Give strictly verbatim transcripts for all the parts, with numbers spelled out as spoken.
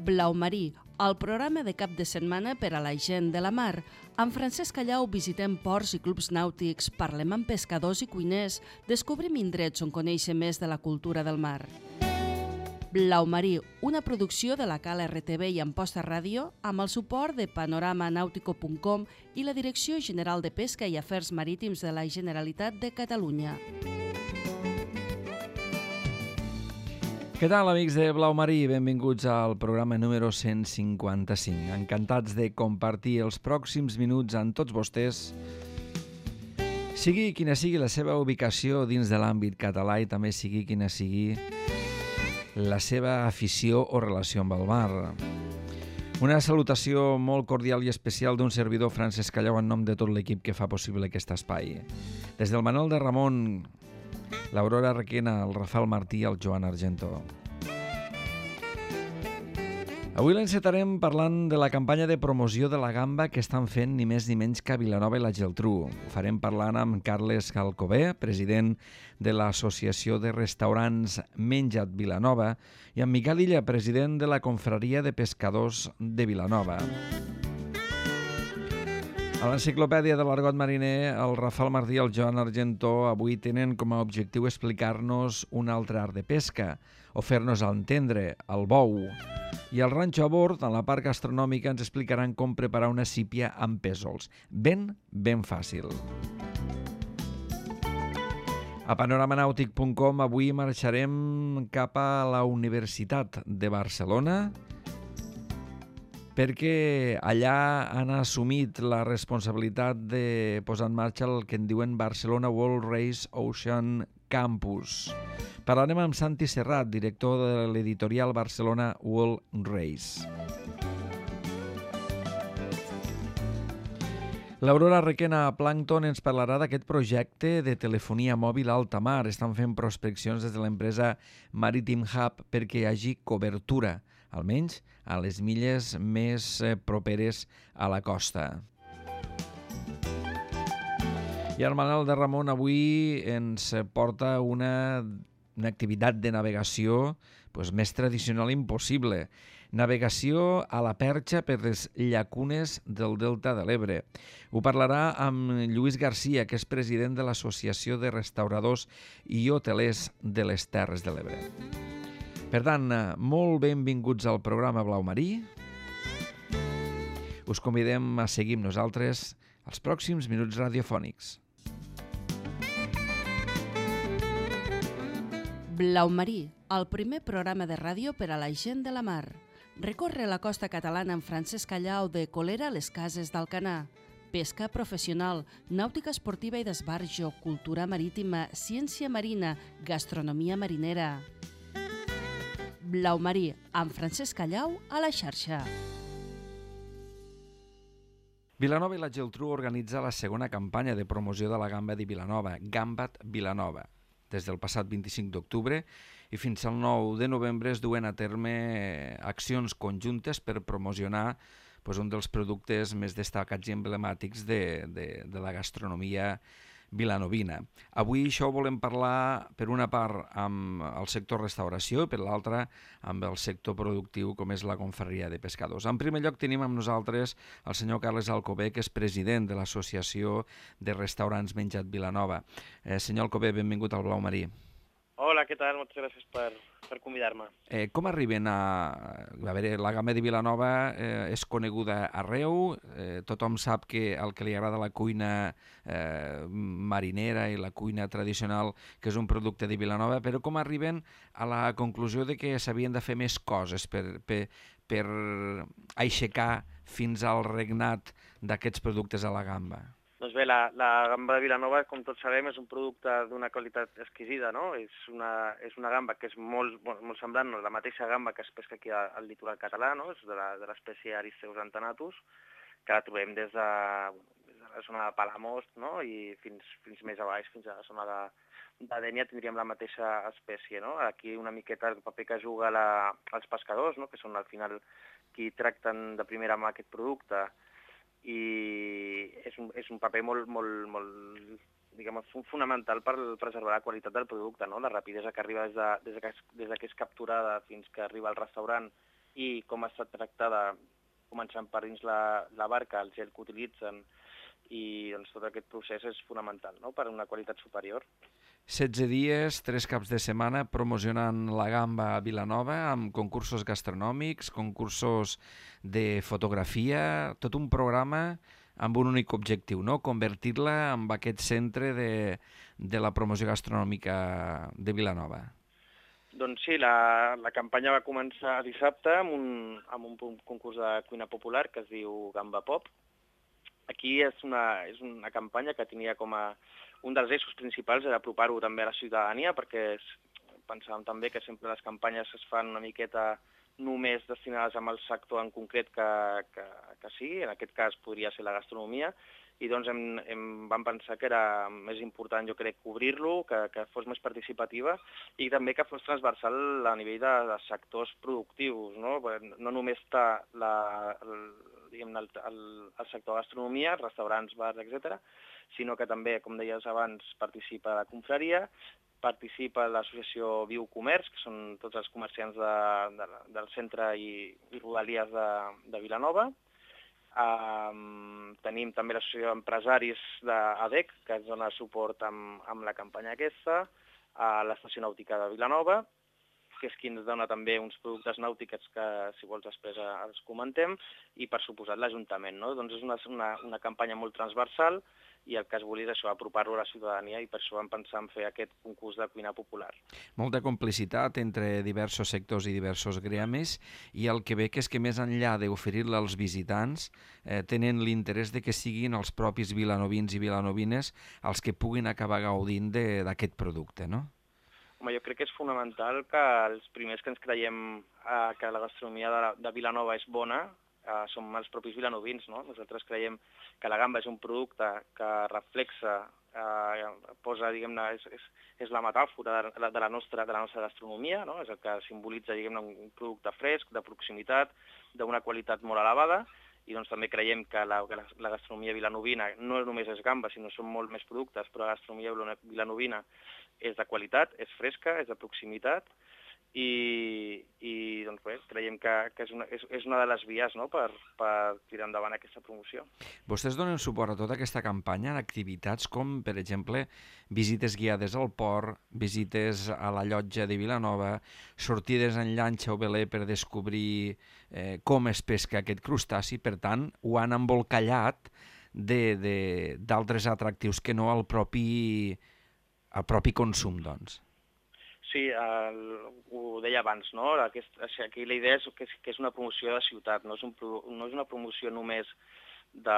Blau Marí, el programa de cap de setmana per a la gent de la mar. Amb Francesc Callau visitem ports i clubs nàutics, parlem amb pescadors i cuiners, descobrim indrets on conèixer més de la cultura del mar. Blau Marí, una producció de la Cal R T V i Amposta Ràdio amb el suport de panorama nàutico punt com i la Direcció General de Pesca i Afers Marítims de la Generalitat de Catalunya. Què tal, amics de Blau Marí? Benvinguts al programa número cent cinquanta-cinc. Encantats de compartir els pròxims minuts amb tots vostès, sigui quina sigui la seva ubicació dins de l'àmbit català i també sigui quina sigui la seva afició o relació amb el mar. Una salutació molt cordial i especial d'un servidor, Francesc Callau, en nom de tot l'equip que fa possible aquest espai. Des del Manuel de Ramon, l'Aurora Requena, el Rafael Martí i el Joan Argento. Avui l'encetarem parlant de la campanya de promoció de la gamba que estan fent ni més ni menys que Vilanova i la Geltrú. Ho farem parlant amb Carles Alcover, president de l'Associació de Restaurants Menja't Vilanova, i amb Miquel Illa, president de la Confraria de Pescadors de Vilanova. A l'Enciclopèdia de l'Argot Mariner, el Rafael Martí i el Joan Argento avui tenen com a objectiu explicar-nos un altre art de pesca, o fer-nos entendre, el bou. I al Ranxo a Bord, en la part gastronòmica, ens explicaran com preparar una sípia amb pèsols. Ben, ben fàcil. A panoramanàutic punt com avui marxarem cap a la Universitat de Barcelona, perquè allà han assumit la responsabilitat de posar en marxa el que en diuen Barcelona World Race Ocean Campus. Parlarem amb Santi Serrat, director de l'editorial Barcelona World Race. L'Aurora Requena a Plàncton ens parlarà d'aquest projecte de telefonia mòbil a alta mar. Estan fent prospeccions des de l'empresa Maritime Hub perquè hi hagi cobertura, almenys a les milles més properes a la costa. I el Manuel de Ramon avui ens porta una, una activitat de navegació pues, més tradicional impossible. Navegació a la perxa per les llacunes del Delta de l'Ebre. Ho parlarà amb Lluís Garcia, que és president de l'Associació de Restauradors i Hotelers de les Terres de l'Ebre. Per tant, molt benvinguts al programa Blau Marí. Us convidem a seguir amb nosaltres els pròxims minuts radiofònics. Blau Marí, el primer programa de ràdio per a la gent de la mar. Recorre la costa catalana amb Francesc Callau de Colera a les Cases d'Alcanar. Pesca professional, nàutica esportiva i d'esbarjo, cultura marítima, ciència marina, gastronomia marinera. Blau Marí, amb Francesc Callau a la xarxa. Vilanova i la Geltrú organitza la segona campanya de promoció de la gamba de Vilanova, Gamba't Vilanova. Des del passat vint-i-cinc d'octubre i fins al nou de novembre es duen a terme accions conjuntes per promocionar pues, un dels productes més destacats i emblemàtics de, de, de la gastronomia vilanovina. Avui això volem parlar per una part amb el sector restauració i per l'altra amb el sector productiu com és la Confraria de Pescadors. En primer lloc tenim amb nosaltres el senyor Carles Alcover, que és president de l'Associació de Restaurants Menja't Vilanova. Eh, senyor Alcover, benvingut al Blau Marí. Hola, què tal? Moltes gràcies per, per convidar-me. Eh, com arriben a... A veure, la gamba de Vilanova eh, és coneguda arreu, eh, tothom sap que el que li agrada la cuina eh, marinera i la cuina tradicional, que és un producte de Vilanova, però com arriben a la conclusió de que s'havien de fer més coses per, per, per aixecar fins al regnat d'aquests productes a la gamba? Doncs bé, la, la gamba de Vilanova, com tots sabem, és un producte d'una qualitat exquisida, no? És una, és una gamba que és molt, molt, molt semblant, no? La mateixa gamba que es pesca aquí al litoral català, no? És de la, de l'espècie Aristeus antanatus, que la trobem des de, des de la zona de Palamós, no? I fins, fins més a baix, fins a la zona de, de Dénia, tindríem la mateixa espècie, no? Aquí una miqueta el paper que juga la, els pescadors, no? Que són al final qui tracten de primera mà aquest producte, i és un, és un paper molt, molt, molt diguem, fonamental per preservar la qualitat del producte, no? La rapidesa que arriba des de, des de, que, es, des de que és capturada fins que arriba al restaurant i com ha estat tractada, començant per dins la, la barca, el gel que utilitzen, i doncs, tot aquest procés és fonamental, no?, per una qualitat superior. setze dies, tres caps de setmana, promocionant la gamba a Vilanova, amb concursos gastronòmics, concursos de fotografia, tot un programa amb un únic objectiu, no?, convertir-la en aquest centre de, de la promoció gastronòmica de Vilanova. Doncs sí, la, la campanya va començar dissabte amb un, amb un concurs de cuina popular que es diu Gamba Pop. Aquí és una, és una campanya que tenia com a un dels eixos principals era apropar-ho també a la ciutadania, perquè és, pensàvem també que sempre les campanyes es fan una miqueta només destinades amb el sector en concret que, que, que sí, en aquest cas podria ser la gastronomia, i doncs hem, hem, vam pensar que era més important, jo crec, cobrir-lo, que, que fos més participativa i també que fos transversal a nivell de, de sectors productius, no? No només està la, el, diguem, el, el, el sector gastronomia, restaurants, bars, etcètera, sinó que també, com deies abans, participa la confraria, participa l'associació Viu Comerç, que són tots els comerciants de, de, del centre i, i rodalies de, de Vilanova. Um, tenim també l'associació d'empresaris d'A D E C, que ens dona suport amb, amb la campanya aquesta, a l'estació nàutica de Vilanova, que és qui ens dona també uns productes nàutics que, si vols, després els comentem, i, per suposat, l'Ajuntament, no? Doncs és una, una, una campanya molt transversal i el que es volia és això, apropar-lo a la ciutadania, i per això vam pensar en fer aquest concurs de cuina popular. Molta complicitat entre diversos sectors i diversos gremis, i el que veig és que més enllà d'oferir-la als visitants, eh, tenen l'interès de que siguin els propis vilanovins i vilanovines els que puguin acabar gaudint d'aquest producte, no? Home, jo crec que és fonamental que els primers que ens creiem eh, que la gastronomia de, de Vilanova és bona, Uh, som els propis vilanovins, no? Nosaltres creiem que la gamba és un producte que reflexa, uh, posa, diguem-ne, és, és, és la metàfora de la, de la, nostra, de la nostra gastronomia, no? És el que simbolitza, diguem-ne, un producte fresc, de proximitat, d'una qualitat molt elevada, i doncs també creiem que la, que la, la gastronomia vilanovina no només és gamba, sinó són molt més productes, però la gastronomia vilanovina és de qualitat, és fresca, és de proximitat, i, i doncs bé, creiem que, que és, una, és, és una de les vies, no?, per, per tirar endavant aquesta promoció. Vostès donen suport a tota aquesta campanya d'activitats com, per exemple, visites guiades al port, visites a la llotja de Vilanova, sortides en llanxa o veler per descobrir eh, com es pesca aquest crustaci. Per tant, ho han embolcallat d'altres atractius que no al propi, al propi consum, doncs. Sí, el, ho deia abans, no? Aquest, aquí la idea és que, és que és una promoció de ciutat, no és, un, no és una promoció només de,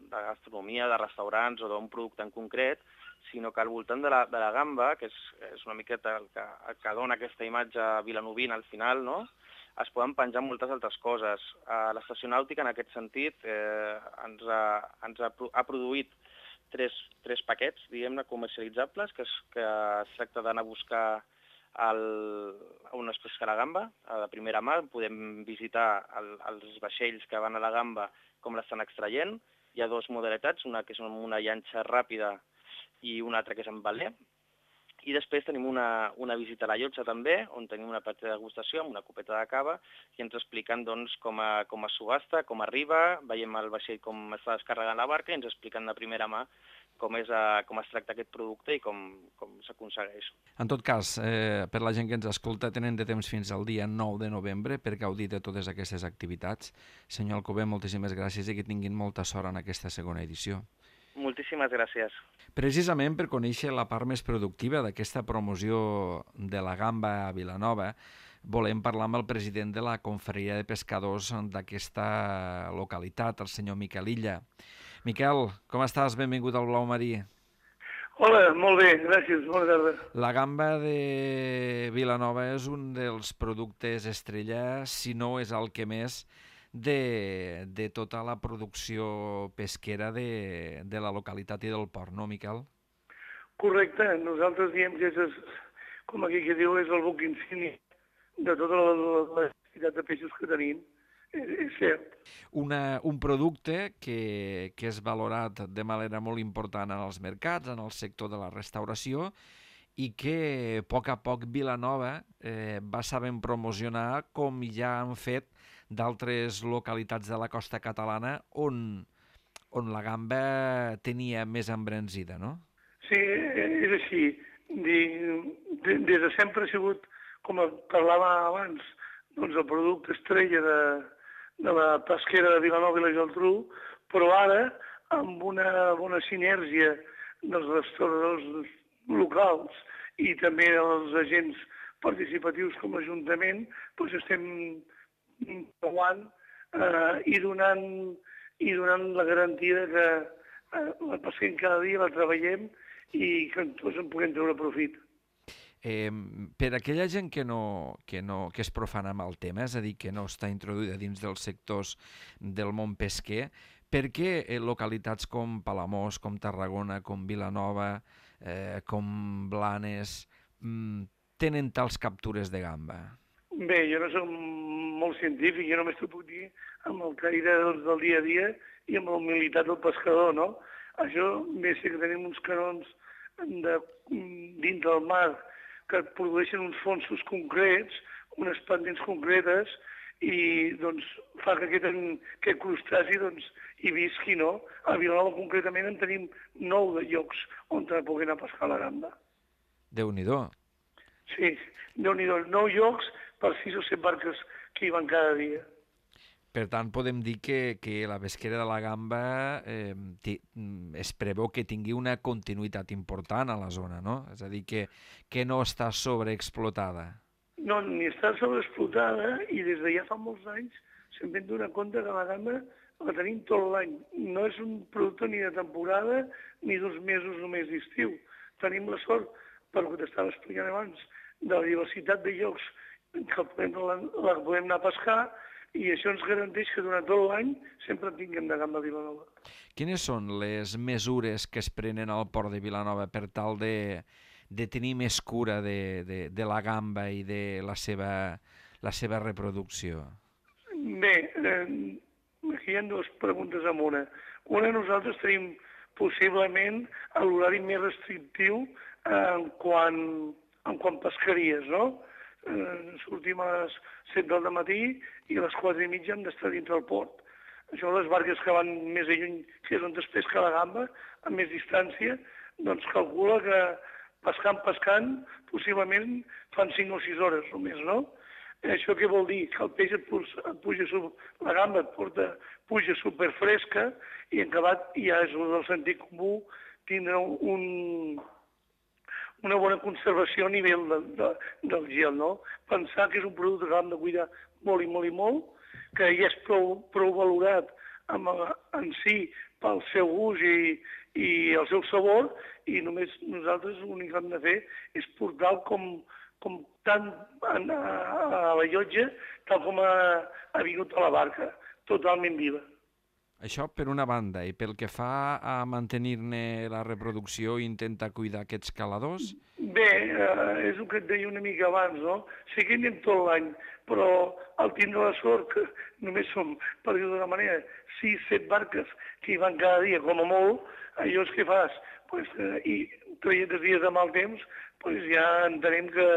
de gastronomia, de restaurants o d'un producte en concret, sinó que al voltant de la, de la gamba, que és, és una miqueta el que, el que dona aquesta imatge vilanovina al final, no?, es poden penjar moltes altres coses. A l'estació nàutica, en aquest sentit, eh, ens, ha, ens ha, ha produït Tres, tres paquets, diguem-ne, comercialitzables, que es, que es tracta d'anar a buscar el, on es pesca la gamba, a la primera mà. Podem visitar el, els vaixells que van a la gamba, com l'estan extraient. Hi ha dues modalitats, una que és una llanxa ràpida i una altra que és amb veler. I després tenim una, una visita a la llotja també, on tenim una petita degustació amb una copeta de cava, i ens expliquen doncs, com, a, com es subhasta, com arriba, veiem el vaixell com està descarregant la barca i ens expliquen de primera mà com, és, a, com es tracta aquest producte i com, com s'aconsegueix. En tot cas, eh, per la gent que ens escolta, tenen de temps fins al dia nou de novembre per gaudir de totes aquestes activitats. Senyor Alcover, moltíssimes gràcies i que tinguin molta sort en aquesta segona edició. Moltíssimes gràcies. Precisament per conèixer la part més productiva d'aquesta promoció de la gamba a Vilanova, volem parlar amb el president de la Confraria de Pescadors d'aquesta localitat, el senyor Miquel Illa. Miquel, com estàs? Benvingut al Blau Marí. Hola, molt bé, gràcies, bona tarda. La gamba de Vilanova és un dels productes estrella, si no és el que més, de, de tota la producció pesquera de, de la localitat i del port, no, Miquel? Correcte, nosaltres diem que és, com aquí que diu, és el buc insígnia de tota la, la, la quantitat de peixos que tenim, és, és cert. Una, un producte que, que és valorat de manera molt important en els mercats, en el sector de la restauració, i que a poc a poc Vilanova eh, va sabent promocionar, com ja han fet d'altres localitats de la costa catalana on, on la gamba tenia més embranzida, no? Sí, és així. Des de sempre ha sigut, com parlàvem abans, doncs el producte estrella de, de la pesquera de Vilanova i la Geltrú, però ara, amb una bona sinergia dels restauradors locals i també dels agents participatius com a Ajuntament, doncs estem provant eh, i, donant, i donant la garantia que eh, la pesquem cada dia, la treballem i que tots en puguem treure profit. Eh, per aquella gent que, no, que, no, que és profana amb el tema, és a dir, que no està introduïda dins dels sectors del món pesquer, per què eh, localitats com Palamós, com Tarragona, com Vilanova, eh, com Blanes, mm, tenen tals captures de gamba? Bé, jo no soc molt científic, jo només t'ho puc dir amb el caire del, del dia a dia i amb la humilitat del pescador, no? Això, bé, sé que tenim uns canons de, dins del mar que produeixen uns fonsos concrets, unes pendents concretes, i doncs fa que aquest, aquest crustaci doncs, hi visqui, no? A Vilanova concretament en tenim nou de llocs on puguem anar a pescar la gamba. Déu-n'hi-do. Sí, Déu-n'hi-do. Nou llocs per sis o set barques que hi van cada dia. Per tant, podem dir que, que la pesquera de la gamba eh, es preveu que tingui una continuïtat important a la zona, no? És a dir, que, que no està sobreexplotada. No, ni està sobreexplotada i des de ja fa molts anys se'n vam donar compte que la gamba la tenim tot l'any. No és un producte ni de temporada ni dos mesos només d'estiu. Tenim la sort, per el que t'estava explicant abans, de la diversitat de llocs que podem, la, la podem anar a pescar, i això ens garanteix que durant tot l'any sempre en tinguem de gamba a Vilanova. Quines són les mesures que es prenen al port de Vilanova per tal de, de tenir més cura de, de, de la gamba i de la seva, la seva reproducció? Bé, eh, aquí hi ha dues preguntes en una. Una, nosaltres tenim possiblement l'horari més restrictiu en quant, en quant pesqueries, no? Eh, sortim a les set del matí i a les quatre i mitja hem d'estar dintre del port. Això, les barques que van més a lluny, que és on es pesca la gamba, a més distància, doncs calcula que pescant, pescant, possiblement fan cinc o sis hores només, no? Això què vol dir? Que el peix et puja, et puja la gamba et porta, puja superfresca i en acabat ja és el del sentit comú tindre un, una bona conservació a nivell de, de, del gel, no? Pensar que és un producte que hem de cuidar molt i molt i molt, que ja és prou, prou valorat amb, en si pel seu gust i, i el seu sabor, i només nosaltres l'únic que hem de fer és portar-lo com, com tant a, a la llotja, tal com ha, ha vingut a la barca, totalment viva. Això per una banda, i pel que fa a mantenir-ne la reproducció i intentar cuidar aquests caladors? Bé, eh, és el que et deia una mica abans, no? Sí que anem tot l'any, però al tindre la sort que només som, per dir-ho d'una manera, sis, set barques que hi van cada dia, com a molt, allò és que fas, pues, eh, i traient els dies de mal temps, pues ja entenem que,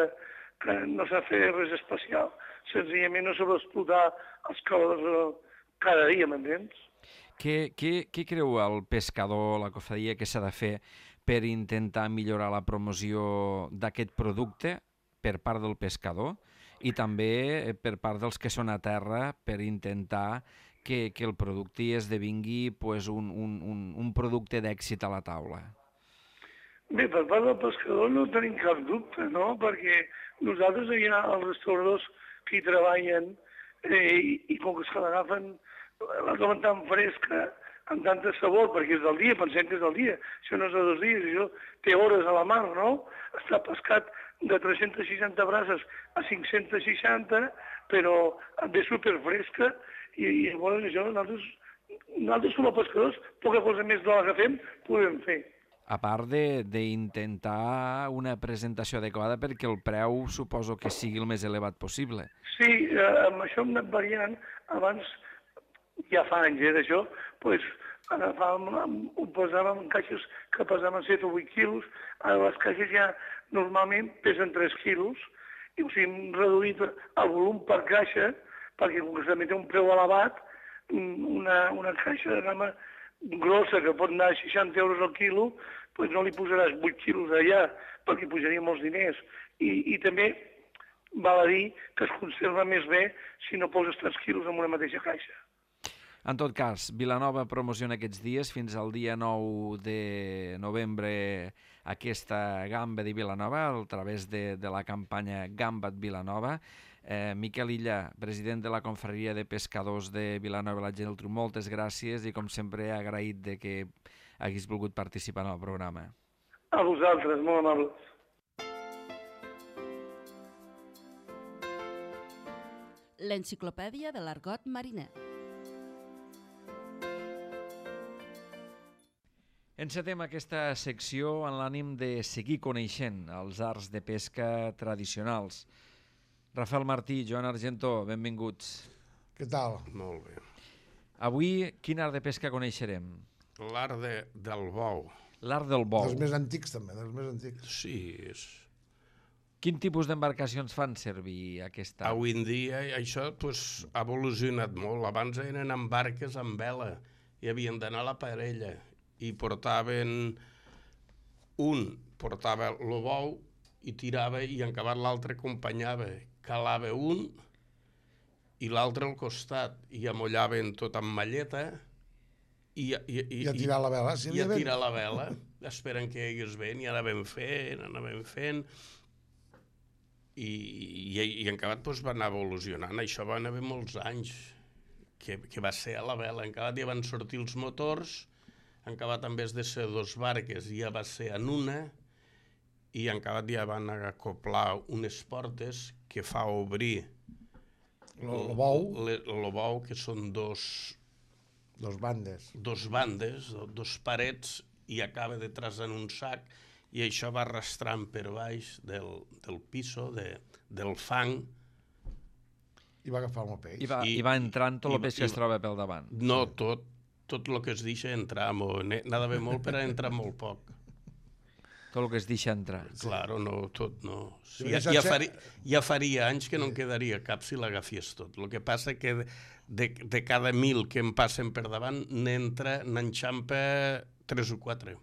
que no s'ha fet res especial. Senzillament no s'ha d'explotar els caladors cada dia, m'entens? Què, què, què creu el pescador, la cofradia, que s'ha de fer per intentar millorar la promoció d'aquest producte per part del pescador i també per part dels que són a terra per intentar que, que el producte esdevingui pues, un, un, un, un producte d'èxit a la taula? Bé, per part del pescador no tenim cap dubte, no? Perquè nosaltres hi ha els restauradors que hi treballen eh, i, i com que se l'agafen la tomen tan fresca, amb tanta sabor, perquè és del dia, pensem que és del dia. Això no és de dos dies, això té hores a la mar, no? Està pescat de tres-cents seixanta braces a cinc-cents seixanta, però ve superfresca, i, i llavors això nosaltres, nosaltres com a pescadors, poca cosa més de la que fem, podem fer. A part d'intentar una presentació adequada perquè el preu suposo que sigui el més elevat possible. Sí, eh, amb això hem anat variant. Abans, ja fa anys, eh, d'això, doncs agafàvem, ho posàvem en caixes que pesaven set o vuit quilos, ara les caixes ja normalment pesen tres quilos, i o sigui, hem reduït el volum per caixa, perquè com que també té un preu elevat, una, una caixa de gamma grossa que pot anar a seixanta euros al quilo, doncs no li posaràs vuit quilos allà, perquè pujaria molts diners. I, i també val a dir que es conserva més bé si no poses tres quilos en una mateixa caixa. En tot cas, Vilanova promociona aquests dies fins al dia nou de novembre aquesta gamba de Vilanova a través de, de la campanya Gamba't Vilanova. Eh, Miquel Illa, president de la Confraria de Pescadors de Vilanova i la Geltrú, moltes gràcies i com sempre agraït de que haguis volgut participar en el programa. A vosaltres, molt amables. L'enciclopèdia de l'argot mariner. Encetem aquesta secció en l'ànim de seguir coneixent els arts de pesca tradicionals. Rafael Martí, Joan Argentó, benvinguts. Què tal? Molt bé. Avui, quin art de pesca coneixerem? L'art de, del bou. L'art del bou. Dels més antics, també, dels més antics. Sí, és... Quin tipus d'embarcacions fan servir aquesta? Avui en dia això pues, ha evolucionat molt. Abans eren amb barques amb vela i havien d'anar a la parella i portaven... Un portava el bou i tirava i en acabat l'altre acompanyava. Calava un i l'altre al costat i amollaven tot amb malleta i, i, i, I a tirar la vela. Si i a tirar la vela, esperen que hi hagués vent i anàvem fent, anàvem fent i, i, i en acabat doncs, va anar evolucionant. Això va anar molts anys que, que va ser a la vela. En acabat ja van sortir els motors, en acabat en vez de ser dos barques ja va ser en una i en acabat ja van acoplar unes portes que fa obrir el bou, el bou, que són dos, dos bandes, dos bandes, dos parets, i acaba detrás en un sac, i això va arrastrant per baix del, del piso, de, del fang. I va agafar el peix. I va, I, i va entrant tot el peix que es troba pel davant. No, tot, tot el que es deixa entrar, n'ha d'haver molt per a entrar molt poc. Tot el que es deixa entrar. Sí. Claro, no, tot no. Sí, ja, ja, faria, ja faria anys que no en quedaria cap si l'agafies tot. El que passa que de, de, de cada mil que em passen per davant n'entra, n'enxampa tres o quatre.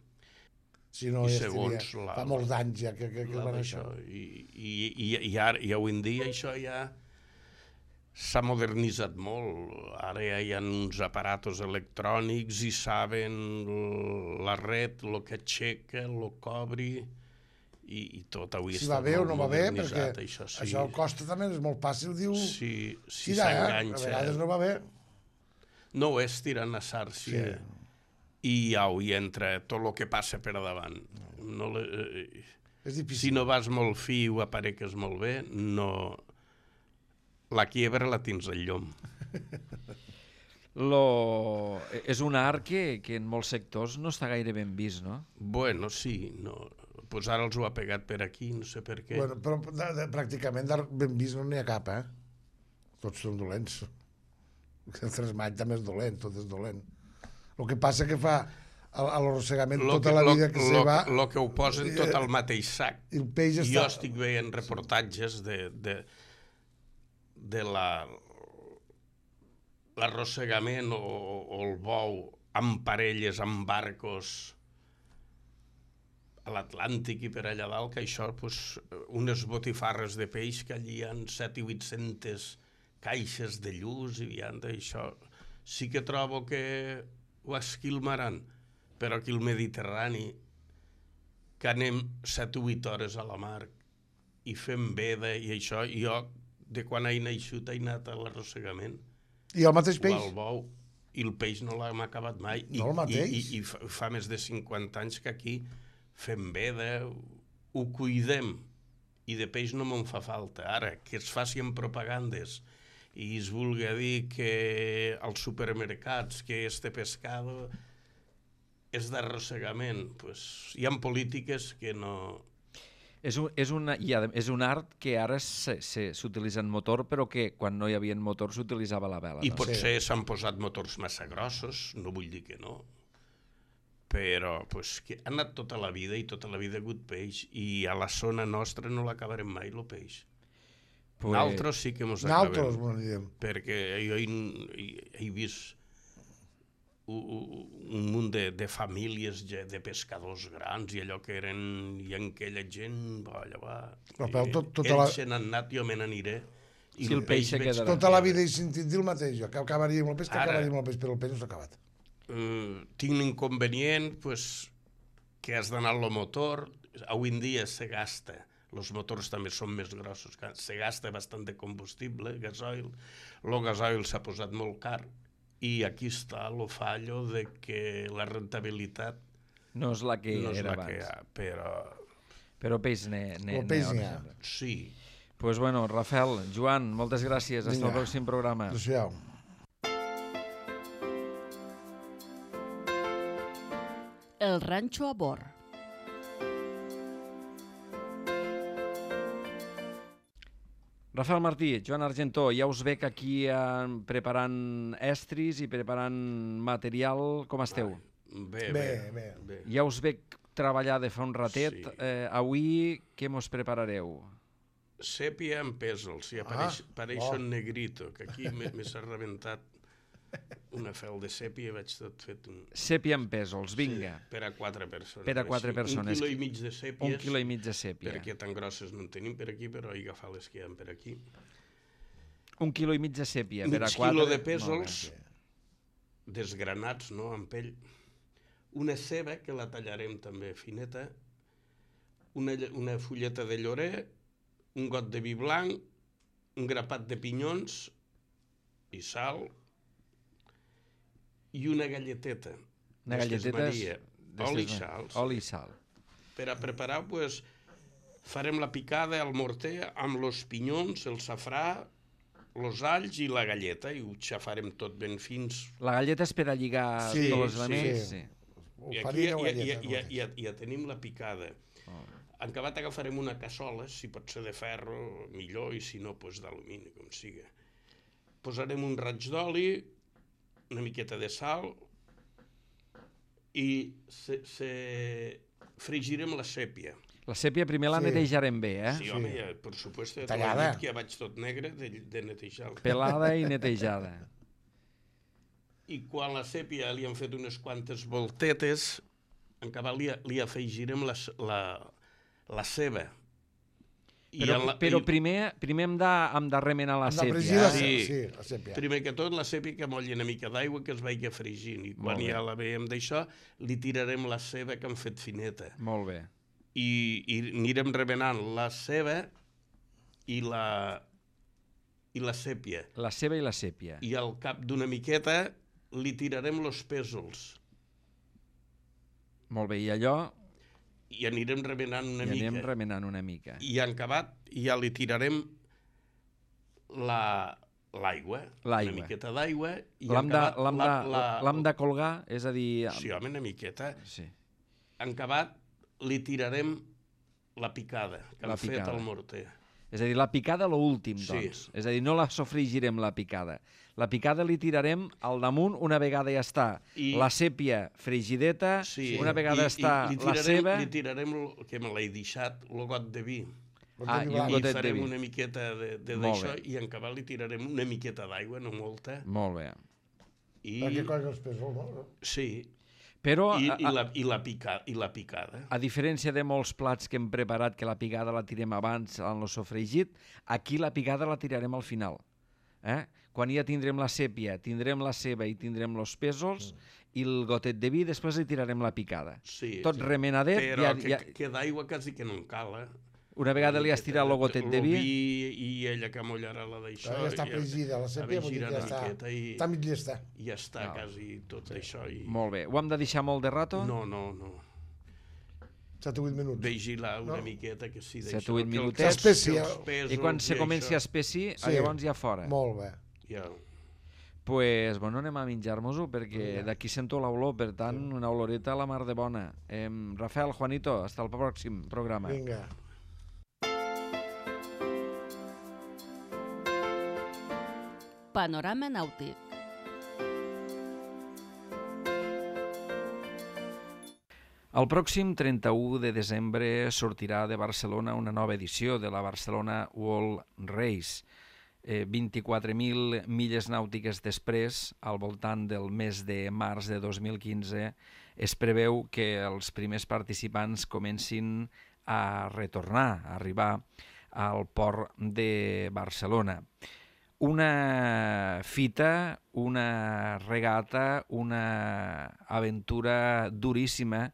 Si no, I ja segons estaria, la, fa molts anys ja que, que, que van això. I, i, i, i, ara, i avui en dia això ja s'ha modernitzat molt. Ara ja hi ha uns aparatos electrònics i saben la red, el que aixeca, el que obri, i, i tot avui si està va bé o no va bé, perquè això, sí. Això costa també, és molt fàcil, diu... Sí, si tirar, s'enganxa. A vegades no va bé. No ho és tirant a sàrcia. Sí. I au, hi entra tot el que passa per davant. No le, eh, és difícil. Si no vas molt fi o apareques molt bé, no... La quiebra la tens al llom. Lo... És un art que, que en molts sectors no està gaire ben vist, no? Bueno, sí. No. Pues ara els ho ha pegat per aquí, no sé per què. Bueno, però de, de, pràcticament d'art ben vist no n'hi ha cap, eh? Tots són dolents. El tresmall també és dolent, tot és dolent. El que passa que fa a l'arrossegament tota la vida que se va... El que ho posen tot al mateix sac. El peix està... Jo estic veient reportatges de... de de la l'arrossegament o, o el bou amb parelles, amb barcos a l'Atlàntic i per allà dalt, que això, pues, unes botifarres de peix que allí hi ha set i vuit-centes caixes de lluç i vianda, això sí que trobo que ho esquilmaran, però aquí al Mediterrani, que anem set o vuit hores a la mar i fem veda i això, jo de quan he naixut he anat a l'arrossegament. I el mateix peix? O al bou. I el peix no l'hem acabat mai. No el mateix? I, i, i fa, fa més de cinquanta anys que aquí fem veda, ho cuidem. I de peix no me'n fa falta. Ara, que es facin propagandes i es vulgui dir que als supermercats que este pescado és d'arrossegament, pues, hi ha polítiques que no... És un, és, una, ha, és un art que ara s'utilitza en motor, però que quan no hi havia motor s'utilitzava la vela. I no? potser s'han posat motors massa grossos, no vull dir que no. però pues, que ha anat tota la vida i tota la vida ha hagut peix i a la zona nostra no l'acabarem mai, el peix. Pues... Nosaltres sí que mos acabem. Nosaltres, perquè jo he, he, he vist un, un munt de, de famílies de pescadors grans i allò que eren, i en aquella gent, va, allò va, però, tot, tota ells la... se n'han anat, jo me n'aniré. I si el peix se quedarà. Tota la vida he sentit dir el mateix, jo, que acabaria amb el peix, que Ara, acabaria amb el peix, però el peix no s'ha acabat. Uh, tinc l'inconvenient pues, que has d'anar al motor, avui en dia se gasta, els motors també són més grossos, se gasta bastant de combustible, gasoil, el gasoil s'ha posat molt car, i aquí està el fallo de que la rentabilitat no és la que no és era la abans. Que ha, però... però peix n'hi ha. Sí. Pues bueno, Rafael, Joan, moltes gràcies. Fins al pròxim programa. Adéu-siau. El ranxo a bord. Rafael Martí, Joan Argentó, ja us veig aquí eh, preparant estris i preparant material. Com esteu? Bé, bé, bé. bé. Ja us veig treballar de fa un ratet. Sí. Eh, avui què mos preparareu? Sèpia amb pèsols, i apareix, ah, apareix oh. un negrito, que aquí me s'ha rebentat una fel de sèpia i vaig tot fet un... Sèpia amb pèsols, vinga. Sí, per a quatre persones. Per a quatre persones. Un quilo i mig de sèpies. Un quilo i mig de sèpia. Perquè tan grosses no en tenim per aquí, però he agafat les que hi ha per aquí. Un quilo i mig de sèpia, mig per a quatre... Mig quilo de pèsols, desgranats, no?, amb pell. Una ceba, que la tallarem també fineta. Una, una fulleta de llorer, un got de vi blanc, un grapat de pinyons i sal, i una galleteta. Una galleteta Maria, oli i sal. Oli i sal. Per a preparar, pues, farem la picada al morter amb els pinyons, el safrà, els alls i la galleta, i ho xafarem tot ben fins. La galleta és per a lligar sí, tots els elements? Sí, sí. I aquí ja, ja, ja, ja, ja, ja tenim la picada. Oh. En acabat agafarem una cassola, si pot ser de ferro, millor, i si no, pues, d'alumini, com siga. Posarem un raig d'oli, una miqueta de sal, i se, se fregirem la sèpia. La sèpia primer la sí. netejarem bé, eh? Sí, home, ja, per supuesto, ja Tallada. dit que ja vaig tot negre de, de netejar-la. Pelada i netejada. I quan la sèpia li han fet unes quantes voltetes, en cabal li, li afegirem la, la, la ceba. I però la, però i... primer, primer hem, de, hem de remenar la sèpia. La sí. sí, la sèpia. Primer que tot, la sèpia que molli una mica d'aigua que es vagi fregint. I quan ja la veiem d'això, li tirarem la ceba que hem fet fineta. Molt bé. I, i anirem remenant la ceba i la, i la sèpia. La ceba i la sèpia. I al cap d'una miqueta li tirarem els pèsols. Molt bé, i allò... I anirem remenant una I mica. I anem remenant una mica. I en acabat ja li tirarem la... l'aigua, una miqueta d'aigua. L'hem de, la, la, la, de colgar, és a dir... Sí, home, una miqueta. Sí. En acabat li tirarem la picada que la hem picada. fet al morter. És a dir, la picada l'últim, doncs. Sí. És a dir, no la sofregirem, la picada. La picada li tirarem al damunt una vegada ja està. I... la sèpia fregideta, sí. una vegada I, està i, i tirarem, la ceba... Li tirarem, que me l'he deixat, el got de vi. Ah, i un gotet I farem de vi. una miqueta d'això i en cabal li tirarem una miqueta d'aigua, no molta. Molt bé. I... Perquè colla els pèsols, no? Sí. Però, I, a, i, la, i, la pica, i la picada. A diferència de molts plats que hem preparat, que la picada la tirem abans en el sofregit, aquí la picada la tirarem al final. Eh? Quan ja tindrem la sèpia, tindrem la ceba i tindrem els pèsols, mm. i el gotet de vi, després li tirarem la picada. Sí, tot sí. remenadet. Però ja, que, ja... que d'aigua quasi que no en cal, eh? Una vegada li has tirat el gotet de vi... I ella que mollarà la d'això... Ja està fregida, la sèpia, vull dir que ja està... I, està mig llesta. I ja està no. quasi tot sí. això. I... Molt bé. Ho hem de deixar molt de rato? No, no, no. set o vuit minuts. Vegi-la una no. miqueta, que sí, d'això. set o vuit minutets. I quan se comenci a espessir, sí. llavors ja fora. Molt bé. Ja. Pues, bueno, anem a menjar-nos-ho, perquè d'aquí sento l'olor, per tant, una oloreta a la mar de bona. Eh, Rafael, Juanito, hasta el pròxim programa. Vinga. Panorama nàutic. El pròxim trenta-u de desembre sortirà de Barcelona una nova edició de la Barcelona World Race. Eh, vint-i-quatre mil milles nàutiques després, al voltant del mes de març de dos mil quinze, es preveu que els primers participants comencin a retornar, a arribar al port de Barcelona. Una fita, una regata, una aventura duríssima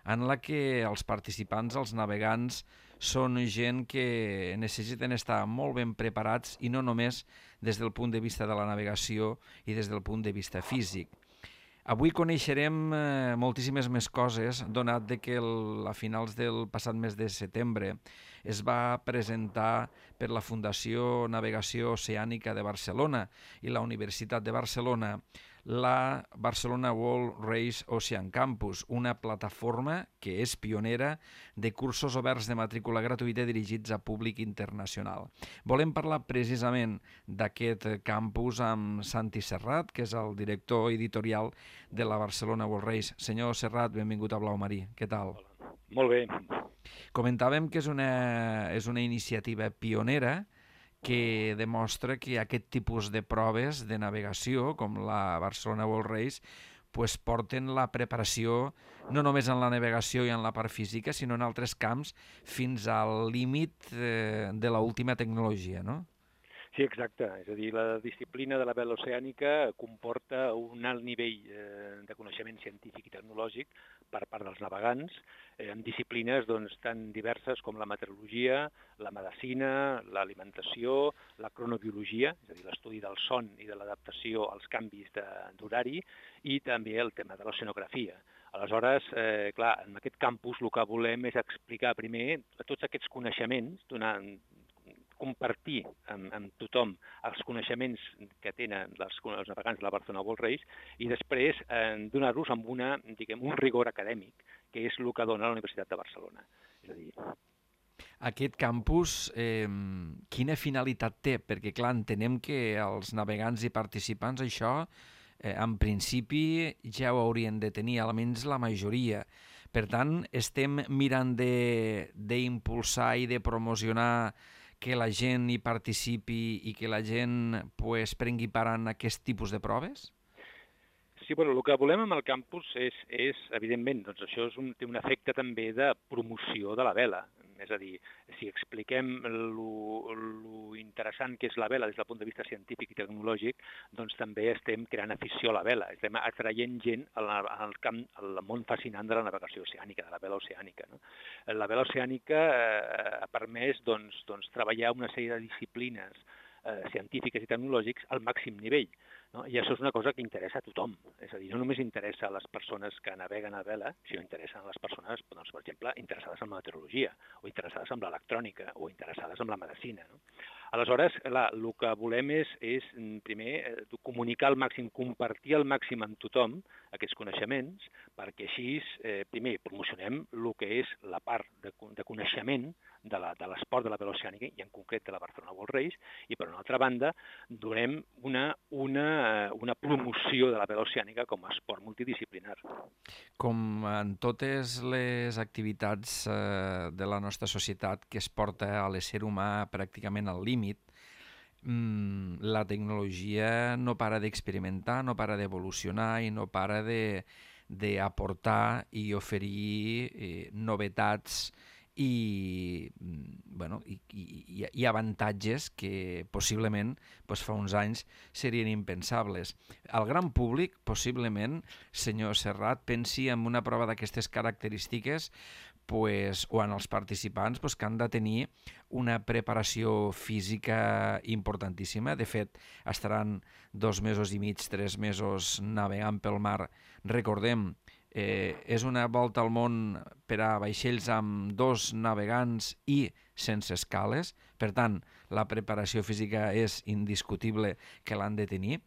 en la que els participants, els navegants, són gent que necessiten estar molt ben preparats i no només des del punt de vista de la navegació i des del punt de vista físic. Avui coneixerem eh, moltíssimes més coses, donat de que el, a finals del passat mes de setembre es va presentar per la Fundació Navegació Oceànica de Barcelona i la Universitat de Barcelona la Barcelona World Race Ocean Campus, una plataforma que és pionera de cursos oberts de matrícula gratuïta dirigits a públic internacional. Volem parlar precisament d'aquest campus amb Santi Serrat, que és el director editorial de la Barcelona World Race. Senyor Serrat, benvingut a Blau Marí. Què tal? Hola. Molt bé. Comentàvem que és una, és una iniciativa pionera que demostra que aquest tipus de proves de navegació, com la Barcelona World Race, pues porten la preparació no només en la navegació i en la part física, sinó en altres camps fins al límit eh, de l'última tecnologia, no? Sí, exacte. És a dir, la disciplina de la vela oceànica comporta un alt nivell eh, de coneixement científic i tecnològic per part dels navegants, eh, en disciplines doncs, tan diverses com la meteorologia, la medicina, l'alimentació, la cronobiologia, és a dir, l'estudi del son i de l'adaptació als canvis d'horari, i també el tema de l'oceanografia. Aleshores, eh, clar, en aquest campus el que volem és explicar primer tots aquests coneixements, donant compartir amb, amb tothom els coneixements que tenen els, els navegants de la Barcelona World Race i després eh, donar-los amb una, diguem, un rigor acadèmic, que és el que dona la Universitat de Barcelona. És a dir... Aquest campus, eh, quina finalitat té? Perquè, clar, entenem que els navegants i participants això, eh, en principi, ja ho haurien de tenir, almenys la majoria. Per tant, estem mirant d'impulsar i de promocionar que la gent hi participi i que la gent pues, prengui part en aquest tipus de proves? Sí, bueno, el que volem amb el campus és, és evidentment, doncs això és un, té un efecte també de promoció de la vela. És a dir, si expliquem lo, lo interessant que és la vela des del punt de vista científic i tecnològic, doncs també estem creant afició a la vela, estem atraient gent al, al camp, al món fascinant de la navegació oceànica, de la vela oceànica. No? La vela oceànica eh, ha permès doncs, doncs, treballar una sèrie de disciplines eh, científiques i tecnològics al màxim nivell. No? I això és una cosa que interessa a tothom. És a dir, no només interessa a les persones que naveguen a vela, sinó interessa a les persones, doncs, per exemple, interessades en la meteorologia, o interessades en l'electrònica, o interessades en la medicina. No? Aleshores, clar, el que volem és, és primer, comunicar al màxim, compartir al màxim amb tothom aquests coneixements, perquè així, eh, primer, promocionem el que és la part de, de coneixement de l'esport de la vela oceànica, i en concret de la Barcelona World Race, i per una altra banda, donem una, una, una promoció de la vela oceànica com a esport multidisciplinar. Com en totes les activitats eh, de la nostra societat que es porta a l'ésser humà pràcticament al límit, mmm, la tecnologia no para d'experimentar, no para d'evolucionar i no para d'aportar i oferir eh, novetats i, bueno, i, i, i avantatges que possiblement doncs, fa uns anys serien impensables. El gran públic, possiblement, senyor Serrat, pensi en una prova d'aquestes característiques pues, o en els participants pues, que han de tenir una preparació física importantíssima. De fet, estaran dos mesos i mig, tres mesos navegant pel mar. Recordem, Eh, és una volta al món per a vaixells amb dos navegants i sense escales. Per tant, la preparació física és indiscutible que l'han de tenir.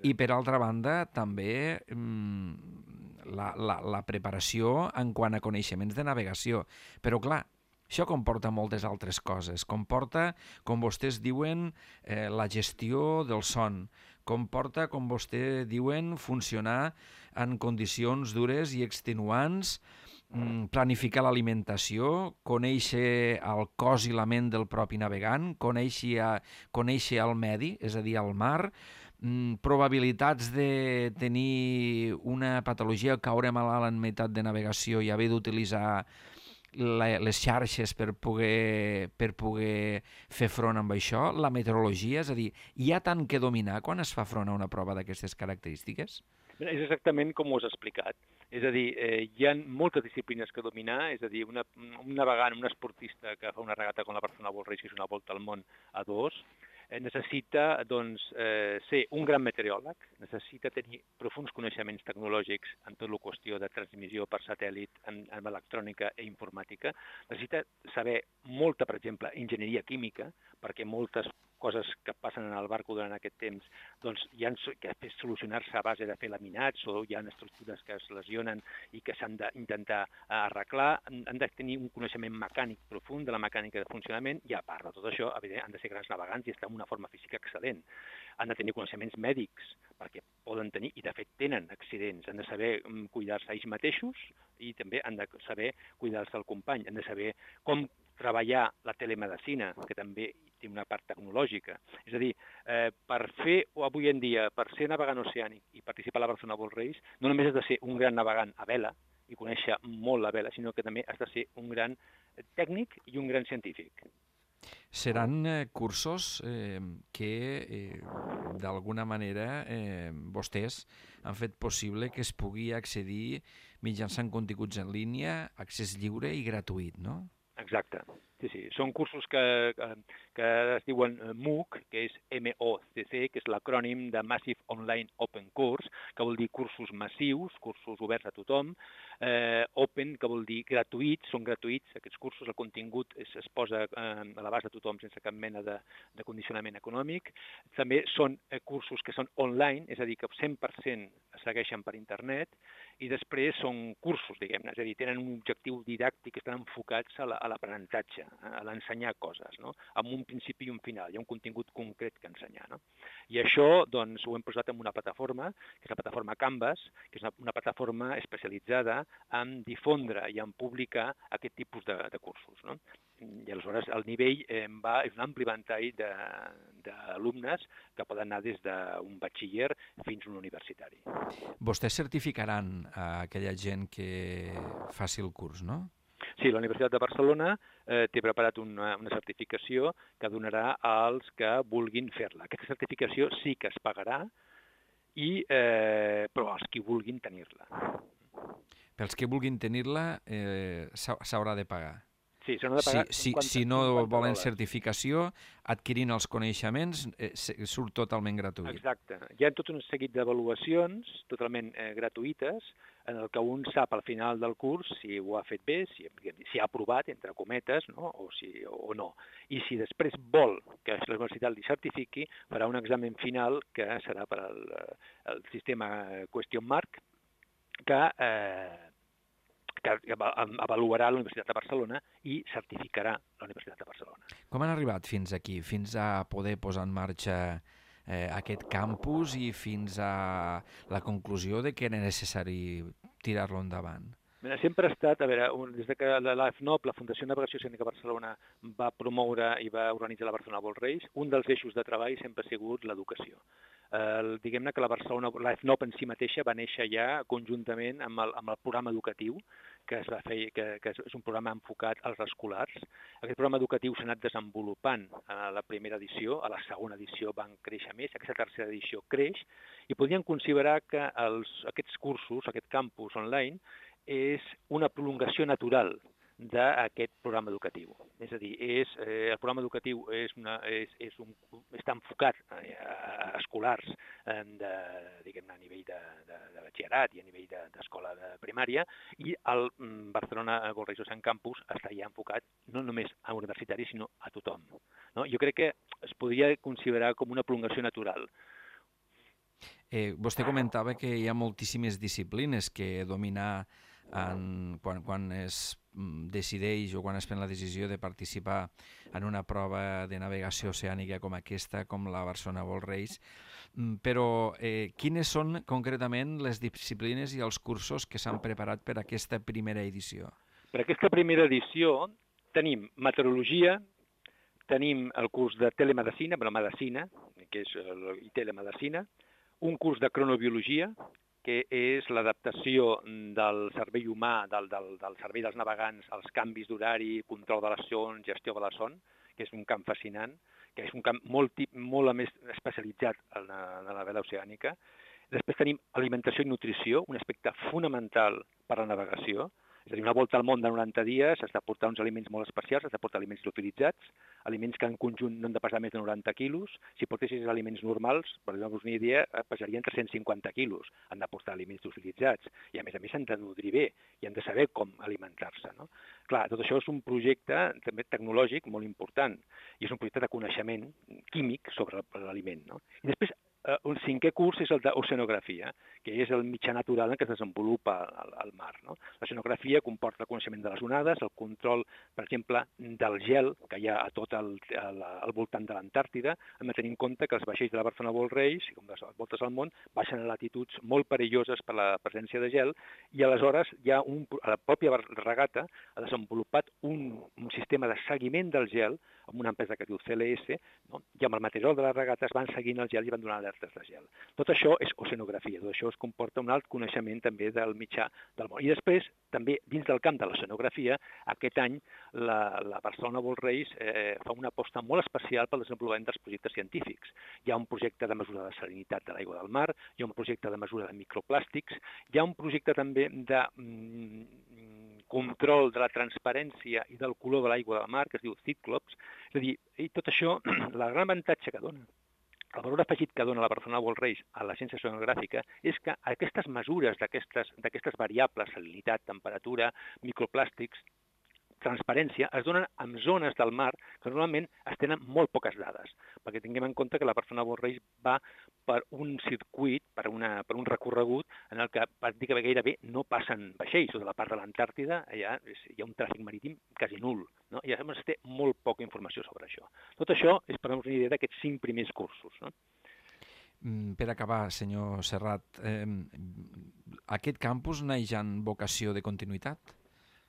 I per altra banda, també mmm, la, la, la preparació en quant a coneixements de navegació. Però clar, això comporta moltes altres coses. Comporta, com vostès diuen, eh, la gestió del son. Comporta, com vostè diuen, funcionar en condicions dures i extenuants planificar l'alimentació, conèixer el cos i la ment del propi navegant, conèixer, conèixer el medi, és a dir, el mar, probabilitats de tenir una patologia o caure malalt en meitat de navegació i haver d'utilitzar les xarxes per poder, per poder fer front amb això, la meteorologia, és a dir, hi ha tant que dominar quan es fa front a una prova d'aquestes característiques? És exactament com ho has explicat. És a dir, eh, hi ha moltes disciplines que dominar, és a dir, una, un navegant, un esportista que fa una regata com la Barcelona World Race, que és una volta al món a dos, eh, necessita doncs, eh, ser un gran meteoròleg, necessita tenir profuns coneixements tecnològics en tot la qüestió de transmissió per satèl·lit, en, en electrònica i informàtica, necessita saber molta, per exemple, enginyeria química, perquè moltes coses que passen en el barco durant aquest temps doncs, hi ha que solucionar-se a base de fer laminats o hi ha estructures que es lesionen i que s'han d'intentar arreglar, han de tenir un coneixement mecànic profund de la mecànica de funcionament i a part de tot això, evidentment, han de ser grans navegants i estar en una forma física excel·lent. Han de tenir coneixements mèdics perquè poden tenir, i de fet tenen accidents, han de saber cuidar-se ells mateixos i també han de saber cuidar-se del company, han de saber com treballar la telemedicina, que també té una part tecnològica. És a dir, eh, per fer, o avui en dia, per ser navegant oceànic i participar a la Barcelona World Race, no només has de ser un gran navegant a vela i conèixer molt la vela, sinó que també has de ser un gran tècnic i un gran científic. Seran eh, cursos eh, que, eh, d'alguna manera, eh, vostès han fet possible que es pugui accedir mitjançant continguts en línia, accés lliure i gratuït, no? Exacte. Sí, sí. Són cursos que, que, que es diuen MOOC, que és M O C C, que és l'acrònim de Massive Online Open Course, que vol dir cursos massius, cursos oberts a tothom. Eh, open, que vol dir gratuïts, són gratuïts aquests cursos, el contingut es, es posa eh, a l'abast de tothom sense cap mena de, de condicionament econòmic. També són eh, cursos que són online, és a dir, que cent per cent es segueixen per internet, i després són cursos, diguem-ne, és a dir, tenen un objectiu didàctic, estan enfocats a l'aprenentatge, a l'ensenyar coses, no? Amb un principi i un final, hi ha un contingut concret que ensenyar, no? I això, doncs, ho hem posat en una plataforma, que és la plataforma Canvas, que és una, una plataforma especialitzada en difondre i en publicar aquest tipus de, de cursos, no? I aleshores el nivell eh, va, és un ampli ventall d'alumnes que poden anar des d'un batxiller fins a un universitari. Vostès certificaran a aquella gent que faci el curs, no? Sí, la Universitat de Barcelona eh, té preparat una, una certificació que donarà als que vulguin fer-la. Aquesta certificació sí que es pagarà, i, eh, però els que vulguin tenir-la. Pels que vulguin tenir-la eh, s'haurà de pagar. Sí, s'han de pagar si, si, cinquanta, si no volen dòlars. Certificació, adquirint els coneixements, eh, surt totalment gratuït. Exacte. Hi ha tot un seguit d'avaluacions totalment eh, gratuïtes, en el que un sap al final del curs si ho ha fet bé, si, si ha aprovat, entre cometes, no? o, si, o no. I si després vol que la universitat li certifiqui, farà un examen final que serà per al el sistema Question Mark, que... Eh, que avaluarà la Universitat de Barcelona i certificarà la Universitat de Barcelona. Com han arribat fins aquí, fins a poder posar en marxa eh, aquest campus i fins a la conclusió de que era necessari tirar-lo endavant? Mira, sempre ha estat, a veure, des de que la F N O P, la Fundació Navegació Oceànica Barcelona, va promoure i va organitzar la Barcelona World Race, un dels eixos de treball sempre ha sigut l'educació. Eh, diguem-ne que la Barcelona, la F N O P en si mateixa va néixer ja conjuntament amb el, amb el programa educatiu, que es va fer, que, que és un programa enfocat als escolars. Aquest programa educatiu s'ha anat desenvolupant a la primera edició, a la segona edició van créixer més, aquesta tercera edició creix, i podríem considerar que els, aquests cursos, aquest campus online, és una prolongació natural d'aquest programa educatiu. És a dir, és, eh, el programa educatiu és una, és, és un, està enfocat a, a escolars eh, de, diguem-ne, a nivell de, de, de batxillerat i a nivell d'escola de, de primària, i el Barcelona World Race Ocean Campus està ja enfocat no només a universitaris, sinó a tothom. No? Jo crec que es podria considerar com una prolongació natural. Eh, vostè comentava que hi ha moltíssimes disciplines que dominar en, quan, quan es decideix o quan es pren la decisió de participar en una prova de navegació oceànica com aquesta, com la Barcelona World Race, però eh, quines són concretament les disciplines i els cursos que s'han preparat per a aquesta primera edició? Per aquesta primera edició tenim meteorologia, tenim el curs de telemedicina, bueno, medicina, que és el, i telemedicina, un curs de cronobiologia, que és l'adaptació del cervell humà, del, del, del cervell dels navegants, als canvis d'horari, control de les son, gestió de la son, que és un camp fascinant, que és un camp molt, molt més especialitzat en la, en la vela oceànica. Després tenim alimentació i nutrició, un aspecte fonamental per a la navegació. És a dir, una volta al món de noranta dies has de portar uns aliments molt especials, has de portar aliments liofilitzats, aliments que en conjunt no han de pesar més de noranta quilos. Si portessis aliments normals, per donar-vos una idea, pesarien tres-cents cinquanta quilos. Han de portar aliments liofilitzats i, a més a més, han de nodrir bé i han de saber com alimentar-se, no? Clar, tot això és un projecte també tecnològic molt important i és un projecte de coneixement químic sobre l'aliment, no? I després, el cinquè curs és el d'oceanografia, que és el mitjà natural en què es desenvolupa el, el mar, no? L'oceanografia comporta el coneixement de les onades, el control, per exemple, del gel que hi ha a tot el, el, al voltant de l'Antàrtida, hem de tenir en compte que els vaixells de la Barcelona World Race, com les voltes al món, baixen a latituds molt perilloses per la presència de gel i aleshores hi ha un, la pròpia regata ha desenvolupat un, un sistema de seguiment del gel amb una empresa que es diu C L S, no? I amb el material de la regata es van seguint el gel i van donar alertes de gel. Tot això és oceanografia, tot això es comporta un alt coneixement també del mitjà del món. I després, també dins del camp de l'oceanografia, aquest any la, la Barcelona World Race eh, fa una aposta molt especial pel desenvolupament dels projectes científics. Hi ha un projecte de mesura de salinitat de l'aigua del mar, hi ha un projecte de mesura de microplàstics, hi ha un projecte també de mm, control de la transparència i del color de l'aigua del mar, que es diu Cyclops. És a dir, i tot això, la gran avantatge que dona, el valor afegit que dona la Barcelona World Race a la ciència oceanogràfica és que aquestes mesures d'aquestes variables, salinitat, temperatura, microplàstics, transparència, es donen en zones del mar que normalment es tenen molt poques dades, perquè tinguem en compte que la Barcelona World Race va per un circuit, per, una, per un recorregut en el que pràcticament gairebé no passen vaixells, o de la part de l'Antàrtida hi ha, hi ha un tràfic marítim quasi nul, no? I llavors es té molt poca informació sobre això. Tot això és per una idea d'aquests cinc primers cursos, no? Per acabar, senyor Serrat, eh, aquest campus neix en vocació de continuïtat?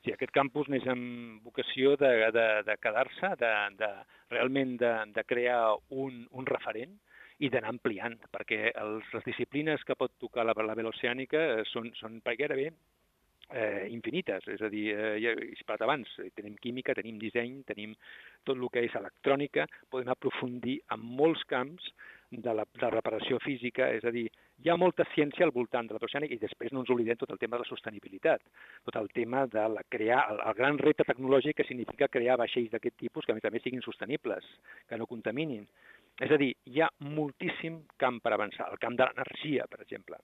Sí, aquest campus neix amb vocació de, de, de quedar-se, de, de, realment de, de crear un, un referent i d'anar ampliant, perquè els, les disciplines que pot tocar la, la vela oceànica són, són gairebé eh, infinites. És a dir, eh, ja he parlat abans, tenim química, tenim disseny, tenim tot el que és electrònica, podem aprofundir en molts camps de la, de la reparació física, és a dir, hi ha molta ciència al voltant de la oceànica i després no ens oblidem tot el tema de la sostenibilitat, tot el tema de la crear, el, el gran repte tecnològic que significa crear vaixells d'aquest tipus que a més a més siguin sostenibles, que no contaminin. És a dir, hi ha moltíssim camp per avançar. El camp de l'energia, per exemple.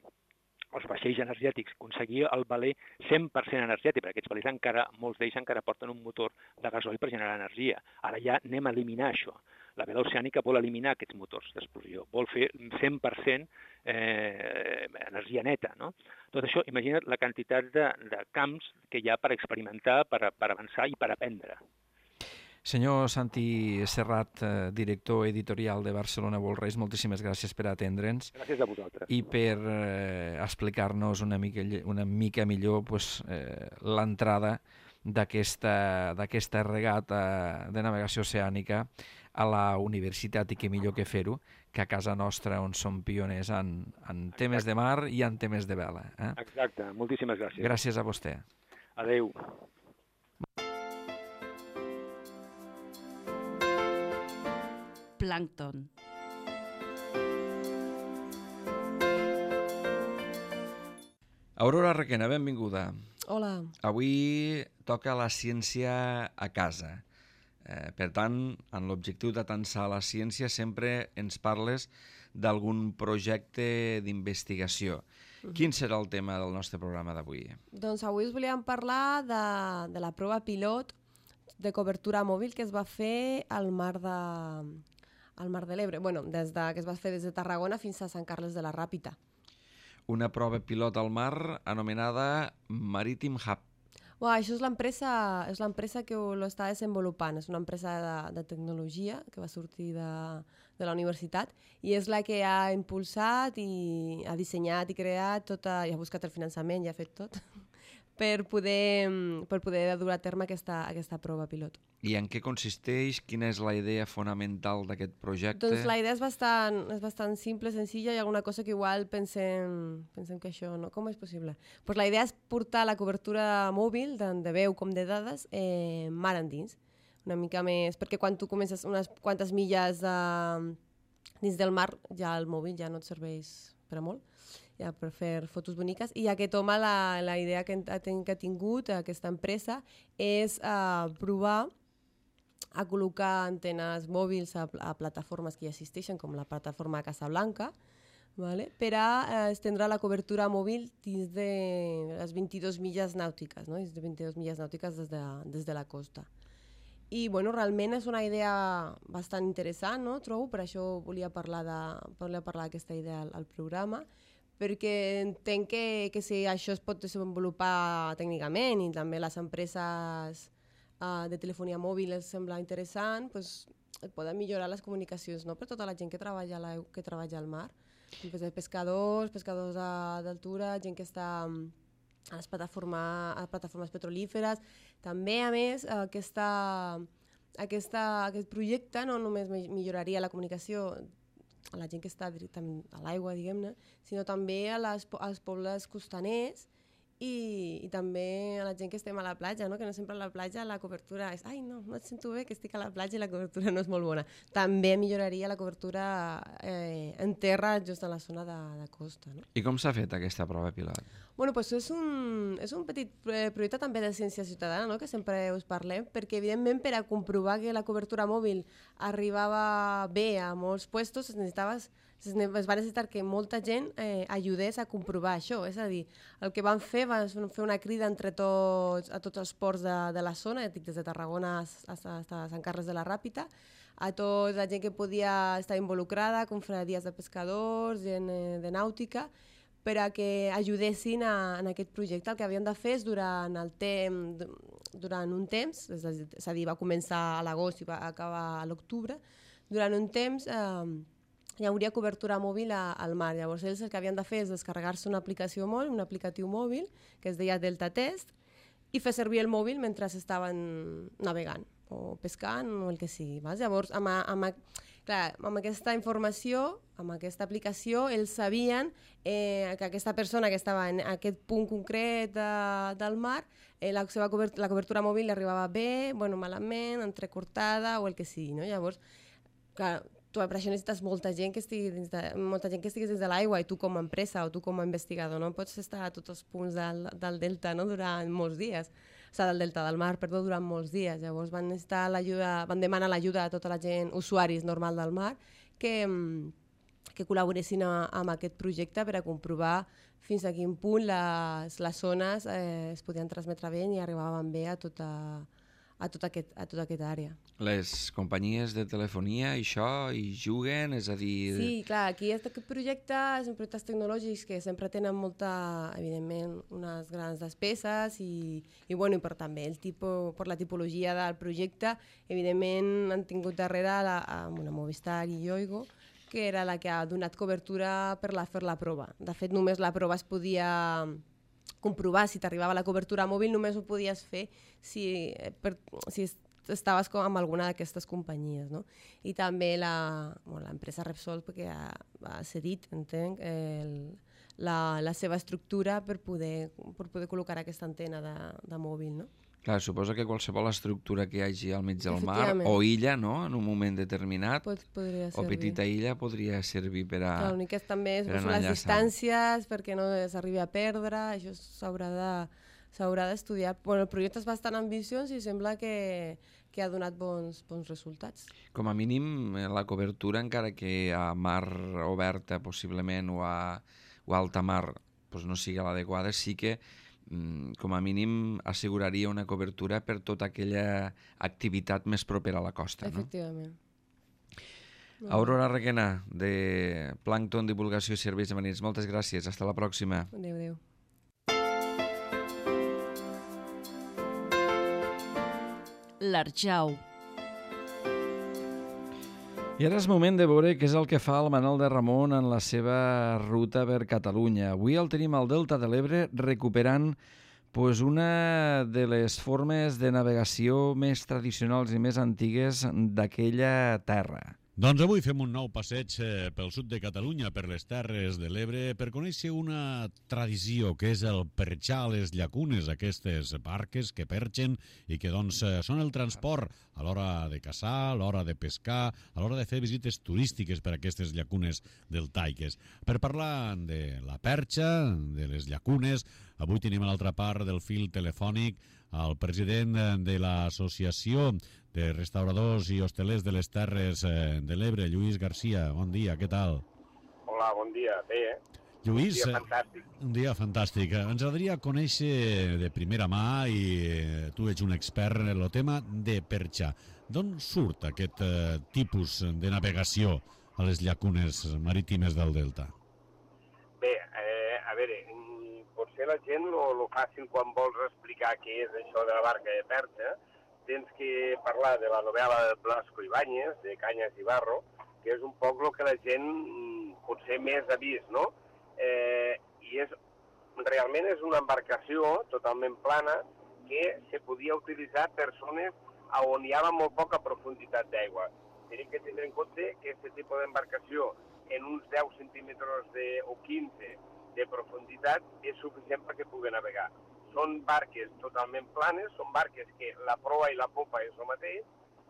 Els vaixells energètics, aconseguir el valer cent per cent energètic, perquè aquests valers encara, molts d'ells encara porten un motor de gasoil per generar energia. Ara ja anem a eliminar això. La vela oceànica vol eliminar aquests motors d'explosió, vol fer cent per cent eh, energia neta, no? Tot això, imagina't la quantitat de, de camps que hi ha per experimentar, per, per avançar i per aprendre. Senyor Santi Serrat, eh, director editorial de Barcelona World Race, moltíssimes gràcies per atendre'ns. Gràcies a vosaltres. I per eh, explicar-nos una mica, una mica millor pues, eh, l'entrada d'aquesta d'aquesta regata de navegació oceànica a la universitat, i que millor que fer-ho que a casa nostra, on som pioners en, en temes de mar i en temes de vela. Eh? Exacte, moltíssimes gràcies. Gràcies a vostè. Adéu. Plàncton. Aurora Requena, benvinguda. Hola. Avui toca la ciència a casa. Eh, per tant, en l'objectiu d'atansar la ciència sempre ens parles d'algun projecte d'investigació. Uh-huh. Quin serà el tema del nostre programa d'avui? Doncs avui us volíem parlar de, de la prova pilot de cobertura mòbil que es va fer al mar de, al mar de l'Ebre. Bueno, des de, que es va fer des de Tarragona fins a Sant Carles de la Ràpita. Una prova pilot al mar anomenada Maritime Hub. Uau, això és l'empresa és l'empresa que ho està desenvolupant. És una empresa de, de tecnologia que va sortir de, de la universitat i és la que ha impulsat i ha dissenyat i creat tota, i ha buscat el finançament i ha fet tot per poder, per poder dur a terme aquesta, aquesta prova pilot. I en què consisteix? Quina és la idea fonamental d'aquest projecte? Doncs la idea és bastant, és bastant simple, senzilla, i alguna cosa que igual pensem, pensem que això, no? Com és possible? Pues la idea és portar la cobertura mòbil, tant de veu com de dades, eh, mar endins. Una mica més, perquè quan tu comences unes quantes milles eh, dins del mar, ja el mòbil ja no et serveix per a molt, ja per fer fotos boniques, i aquest home la, la idea que ha, que ha tingut aquesta empresa és uh, provar a col·locar antenes mòbils a, a plataformes que ja existeixen, com la plataforma Casablanca, vale? Per a uh, estendre la cobertura mòbil dins de les vint-i-dues milles nàutiques, no? Dins de vint-i-dues milles nàutiques des de, des de la costa. I bueno, realment és una idea bastant interessant, no? Trobo, per això volia parlar d'aquesta idea al, al programa, perquè entenc que, que si això es pot desenvolupar tècnicament i també les empreses uh, de telefonia mòbil els sembla interessant, pues, et poden millorar les comunicacions, no? Per tota la gent que treballa, la, que treballa al mar, pues, pescadors, pescadors d'altura, gent que està a les plataformes, a les plataformes petrolíferes. També, a més, aquesta, aquesta, aquest projecte no només milloraria la comunicació a la gent que està directament a l'aigua, diguem-ne, sinó també a les, als pobles costaners i, i també a la gent que estem a la platja, no? Que no sempre a la platja la cobertura és ai, no, no et sento bé que estic a la platja i la cobertura no és molt bona. També milloraria la cobertura eh, en terra just a la zona de, de costa. No? I com s'ha fet aquesta prova pilot? Bueno, pues és un, és un petit projecte també de ciència ciutadana, no? Que sempre us parlem, perquè evidentment per a comprovar que la cobertura mòbil arribava bé a molts puestos es necessitava es va necessitar que molta gent eh, ajudés a comprovar això. És a dir, el que van fer va fer una crida entre tots, a tots els ports de, de la zona, des de Tarragona a, a, a Sant Carles de la Ràpita, a tota la gent que podia estar involucrada, confraries de pescadors, gent eh, de nàutica, per a que ajudessin a, en aquest projecte. El que havien de fer és durant, el temps, durant un temps, és a dir, va començar a l'agost i va acabar a l'octubre, durant un temps eh, hi hauria cobertura mòbil a, al mar. Llavors ells el que havien de fer és descarregar-se una aplicació mòbil, un aplicatiu mòbil, que es deia Delta Test, i fer servir el mòbil mentre estaven navegant o pescant o el que sigui. Vas? Llavors, amb, amb, clar, amb aquesta informació, amb aquesta aplicació, ells sabien eh, que aquesta persona que estava en aquest punt concret de, del mar, eh, la seva cobertura, la cobertura mòbil li arribava bé, bueno, malament, entrecortada o el que sigui. No? Llavors, clar, tu per això necessites molta gent que estigui dins de, molta gent que estiguis dins de l'aigua, i tu com a empresa o tu com a investigador no pots estar a tots els punts del, del delta, no? Durant molts dies, o sigui, del delta del mar, perdó, durant molts dies. Llavors van necessitar l'ajuda, van demanar l'ajuda a tota la gent, usuaris normal del mar, que, que col·laboressin a, amb aquest projecte per a comprovar fins a quin punt les, les zones eh, es podien transmetre bé i arribaven bé a tota a tota aquest, a tota aquesta àrea. Les companyies de telefonia, això, hi juguen, és a dir... Sí, clar, aquí aquest projecte són projectes tecnològics que sempre tenen molta, evidentment, unes grans despeses i, i, bueno, i per també el tipus, per la tipologia del projecte, evidentment han tingut darrere la, una Movistar i Yoigo, que era la que ha donat cobertura per la, fer la prova. De fet, només la prova es podia comprovar si t'arribava la cobertura mòbil, només ho podies fer si, per, si estaves com amb alguna d'aquestes companyies. No? I també l'empresa bueno, Repsol, perquè ha, ha cedit, entenc, el, la, la seva estructura per poder, per poder col·locar aquesta antena de, de mòbil. No? Clar, suposa que qualsevol estructura que hi hagi al mig del mar, o illa, no?, en un moment determinat, Pot, o petita illa, podria servir per a... Clar, l'únic que també són les distàncies, perquè no s'arribi a perdre, això s'haurà de, s'haurà d'estudiar. Bueno, el projecte és bastant ambiciós i sembla que, que ha donat bons, bons resultats. Com a mínim, la cobertura, encara que a mar oberta, possiblement, o a, o a alta mar, doncs no sigui l'adequada, sí que com a mínim asseguraria una cobertura per tota aquella activitat més propera a la costa. Efectivament. No? Aurora Requena, de Plàncton Divulgació i Serveis Marins, moltes gràcies. Hasta la pròxima. Adéu, adéu. l'Arjau. I ara és moment de veure què és el que fa el Manel de Ramon en la seva ruta per Catalunya. Avui el tenim al Delta de l'Ebre recuperant pues, una de les formes de navegació més tradicionals i més antigues d'aquella terra. Doncs avui fem un nou passeig pel sud de Catalunya, per les Terres de l'Ebre, per conèixer una tradició que és el perxar a les llacunes, aquestes barques que perxen i que doncs, són el transport a l'hora de caçar, a l'hora de pescar, a l'hora de fer visites turístiques per a aquestes llacunes deltaiques. Per parlar de la perxa, de les llacunes, avui tenim a l'altra part del fil telefònic el president de l'Associació de Restauradors i Hostelers de les Terres de l'Ebre, Lluís Garcia. Bon dia, què tal? Hola, bon dia. Bé, eh? Lluís, un dia fantàstic. Un dia fantàstic. Ens agradaria conèixer de primera mà, i tu ets un expert en el tema de perxar. D'on surt aquest eh, tipus de navegació a les llacunes marítimes del Delta? Bé, eh, a veure, potser la gent lo, lo fàcil quan vols explicar què és això de la barca de perxa, tens que parlar de la novel·la de Blasco Ibáñez, de Canyes i Barro, que és un poc el que la gent potser més ha vist, no? Eh, I és, realment és una embarcació totalment plana que se podia utilitzar per zones on hi havia molt poca profunditat d'aigua. Tenim que tenir en compte que aquest tipus d'embarcació en uns deu centímetres de, o quinze de profunditat és suficient perquè pugui navegar. Són barques totalment planes, són barques que la proa i la popa és el mateix,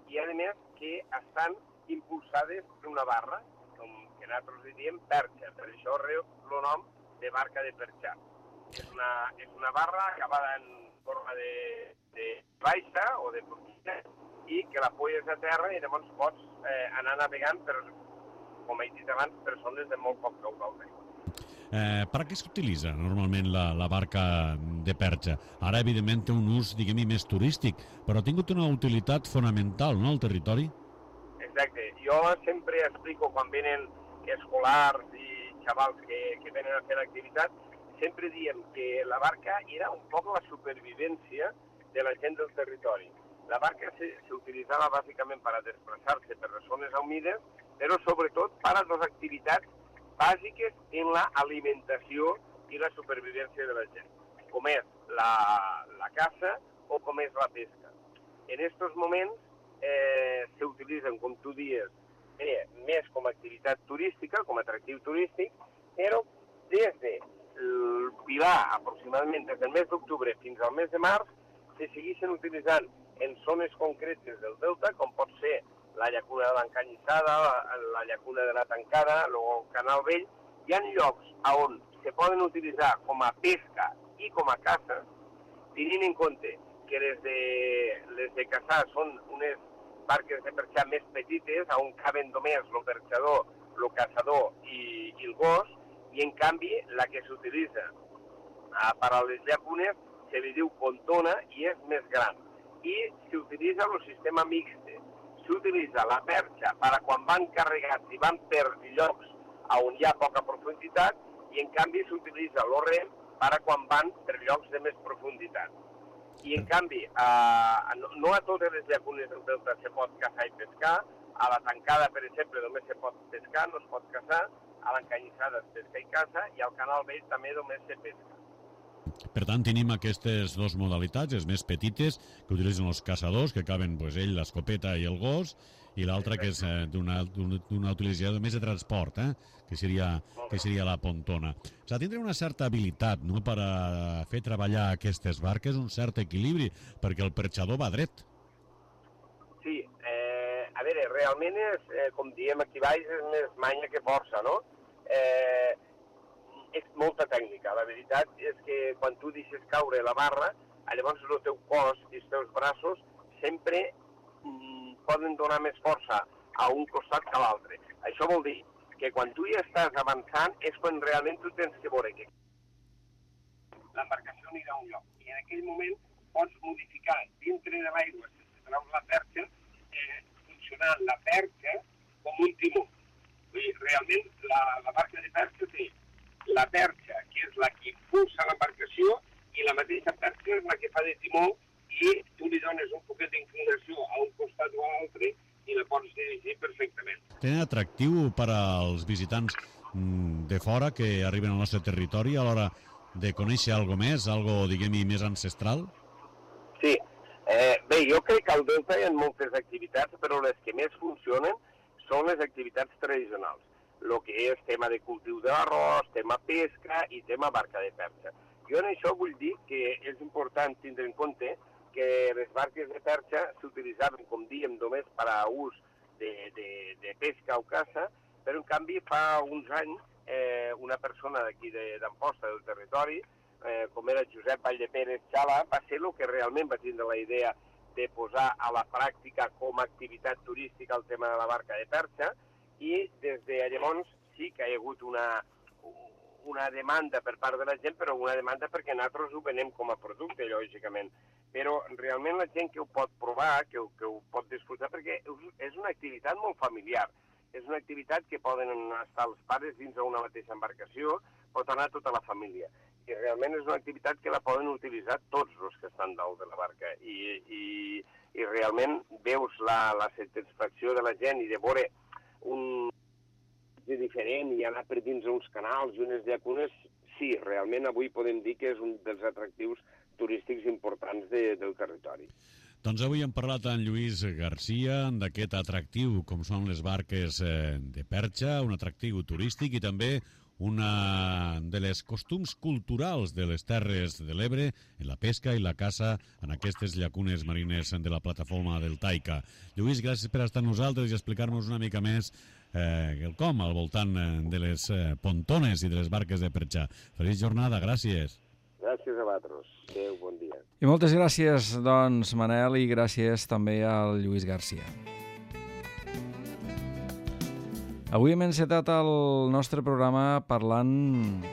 i a més que estan impulsades per una barra, com que nosaltres li diem perxa, per això reu el nom de barca de perxar. És una, és una barra acabada en forma de, de baixa o de porquina i que la poies a terra i llavors pots eh, anar navegant per, com he dit abans, per zones de molt poc caudal d'aigua. Eh, per a què s'utilitza normalment la, la barca de perxa? Ara, evidentment, té un ús, diguem-hi, més turístic, però ha tingut una utilitat fonamental, no?, al territori? Exacte. Jo sempre explico, quan venen escolars i xavals que, que venen a fer l'activitat, sempre diem que la barca era un poc la supervivència de la gent del territori. La barca s'utilitzava bàsicament per a desplaçar-se per les zones humides, però sobretot per a les activitats bàsiques en l'alimentació i la supervivència de la gent, com és la, la caça o com és la pesca. En aquests moments eh, s'utilitzen, com tu dius, eh, més com a activitat turística, com a atractiu turístic, però des del Pilar, aproximadament des del mes d'octubre fins al mes de març, se segueixen utilitzant en zones concretes del Delta, com pot ser la llacuna de l'Encanyissada, la, la llacuna de la Tancada, el Canal Vell. Hi ha llocs on se poden utilitzar com a pesca i com a caça, tenint en compte que les de, les de caçar són unes barques de perxar més petites, on caben només el perxador, el caçador i, i el gos, i en canvi la que s'utilitza per a les llacunes se li diu pontona i és més gran. I s'utilitza el sistema mixte. S'utilitza la perxa per a quan van carregats i van per llocs on hi ha poca profunditat, i en canvi s'utilitza el rem per a quan van per llocs de més profunditat. I en canvi, eh, no a totes les llacunes del Delta se pot caçar i pescar, a la Tancada, per exemple, només se pot pescar, no es pot caçar, a l'Encanyissada es pesca i caça, i al Canal Vell també només se pesca. Per tant, tenim aquestes dues modalitats, les més petites, que utilitzen els caçadors, que caben pues, ell, l'escopeta i el gos, i l'altra que és eh, d'una utilització més de transport, eh? que, seria, que seria la pontona. S'ha de tindre una certa habilitat, no?, per a fer treballar aquestes barques, un cert equilibri, perquè el perxador va dret. Sí, eh, a veure, realment és, eh, com diem aquí baix, és més manya que força, no? Eh, és molta tècnica. La veritat és que quan tu deixes caure la barra, llavors el teu cos i els teus braços sempre mm, poden donar més força a un costat que a l'altre. Això vol dir que quan tu ja estàs avançant és quan realment tu tens que veure que l'embarcació anirà a un lloc. I en aquell moment pots modificar dintre de l'aigua, sense treure la perxa, eh, funcionant la perxa com un timó. Vull dir, realment la, la barca de perxa té la perxa, que és la que impulsa l'embarcació, i la mateixa perxa és la que fa de timó, i tu li dones un poquet d'inclinació tenen atractiu per als visitants de fora que arriben al nostre territori a l'hora de conèixer algo més, algo, diguem-hi, més ancestral? Sí. Eh, bé, jo crec que al Delta hi ha moltes activitats, però les que més funcionen són les activitats tradicionals. El que és tema de cultiu de l'arròs, tema pesca i tema barca de perxa. Jo en això vull dir que és important tindre en compte que les barques de perxa s'utilitzaven, com diem, només per a ús de, de, de pesca o caça, però en canvi fa uns anys eh, una persona d'aquí d'Amposta, del territori, eh, com era Josep Vallepérez Xala, va ser el que realment va tindre la idea de posar a la pràctica com a activitat turística el tema de la barca de perxa, i des de llavors sí que hi ha hagut una, una demanda per part de la gent, però una demanda perquè nosaltres ho venem com a producte, lògicament. Però realment la gent que ho pot provar, que ho, que ho pot disfrutar, perquè és una activitat molt familiar. És una activitat que poden estar els pares dins d'una mateixa embarcació, pot anar tota la família. I realment és una activitat que la poden utilitzar tots els que estan dalt de la barca. I, i, i realment veus la, la satisfacció de la gent i de veure un diferent i anar per dins uns canals i unes llacunes, sí, realment avui podem dir que és un dels atractius turístics importants de, del territori. Doncs avui hem parlat amb Lluís Garcia d'aquest atractiu com són les barques de perxa, un atractiu turístic i també una de les costums culturals de les Terres de l'Ebre en la pesca i la caça en aquestes llacunes marines de la plataforma del Taica. Lluís, gràcies per estar amb nosaltres i explicar-nos una mica més eh, el com al voltant de les eh, pontones i de les barques de perxa. Feliç jornada, gràcies. Gràcies a vosaltres. Adéu, bon dia. I moltes gràcies, doncs, Manel, i gràcies també al Lluís Garcia. Avui hem encetat el nostre programa parlant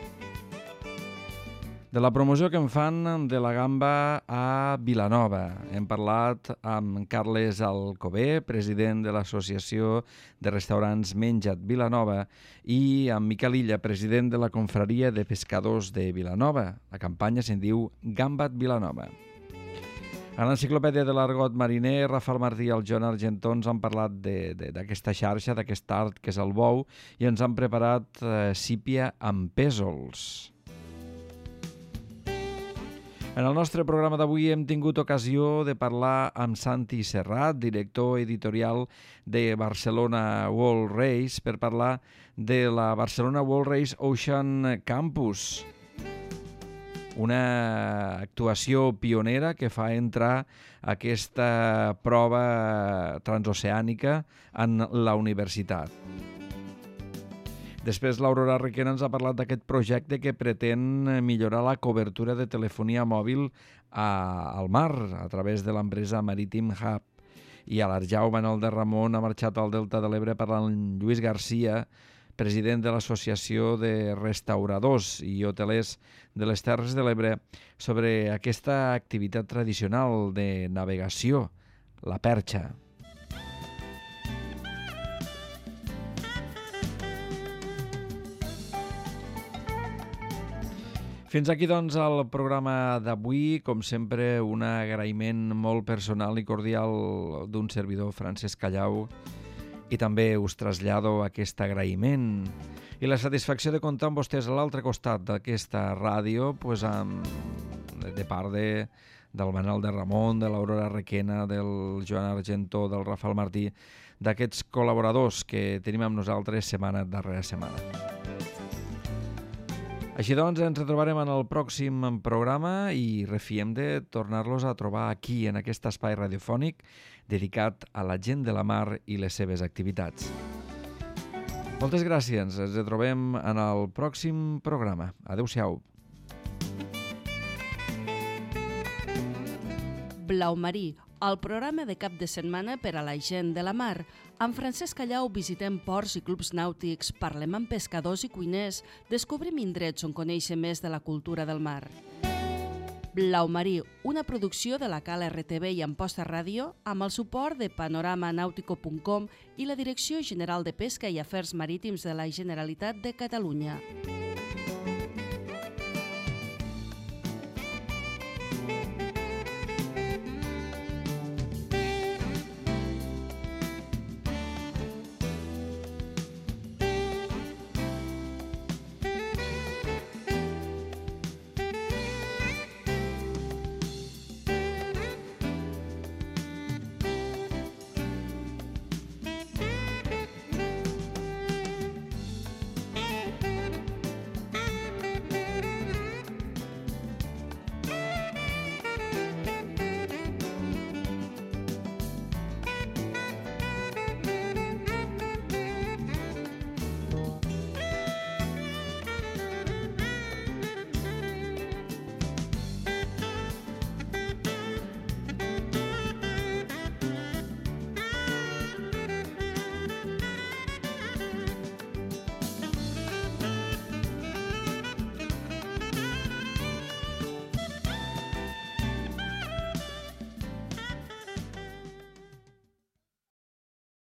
de la promoció que en fan de la gamba a Vilanova. Hem parlat amb Carles Alcover, president de l'Associació de Restaurants Menja't Vilanova, i amb Miquel Illa, president de la Confraria de Pescadors de Vilanova. La campanya se'n diu Gamba't Vilanova. A l'Enciclopèdia de l'Argot Mariner, Rafael Martí i el Joan Argentó ens han parlat d'aquesta xarxa, d'aquest art que és el bou, i ens han preparat eh, sípia amb pèsols. En el nostre programa d'avui hem tingut ocasió de parlar amb Santi Serrat, director editorial de Barcelona World Race, per parlar de la Barcelona World Race Ocean Campus, una actuació pionera que fa entrar aquesta prova transoceànica en la universitat. Després l'Aurora Requena ens ha parlat d'aquest projecte que pretén millorar la cobertura de telefonia mòbil a, al mar a través de l'empresa Marítim Hub. I a l'Arjau Manuel de Ramon ha marxat al Delta de l'Ebre parlant amb Lluís Garcia, president de l'Associació de Restauradors i Hotelers de les Terres de l'Ebre, sobre aquesta activitat tradicional de navegació, la perxa. Fins aquí, doncs, el programa d'avui. Com sempre, un agraïment molt personal i cordial d'un servidor, Francesc Callau, i també us trasllado aquest agraïment i la satisfacció de comptar amb vostès a l'altre costat d'aquesta ràdio, pues, amb, de part de, del Manel de Ramon, de l'Aurora Requena, del Joan Argentó, del Rafael Martí, d'aquests col·laboradors que tenim amb nosaltres setmana darrere setmana. Així doncs, ens retrobarem en el pròxim programa i refiem de tornar-los a trobar aquí, en aquest espai radiofònic dedicat a la gent de la mar i les seves activitats. Moltes gràcies. Ens retrobem en el pròxim programa. Adéu-siau. Blau Marí, el programa de cap de setmana per a la gent de la mar. Amb Francesc Callau visitem ports i clubs nàutics, parlem amb pescadors i cuiners, descobrim indrets on conèixer més de la cultura del mar. Blau Marí, una producció de la Cal R T V i Amposta Ràdio, amb el suport de panorama nautico punt com i la Direcció General de Pesca i Afers Marítims de la Generalitat de Catalunya.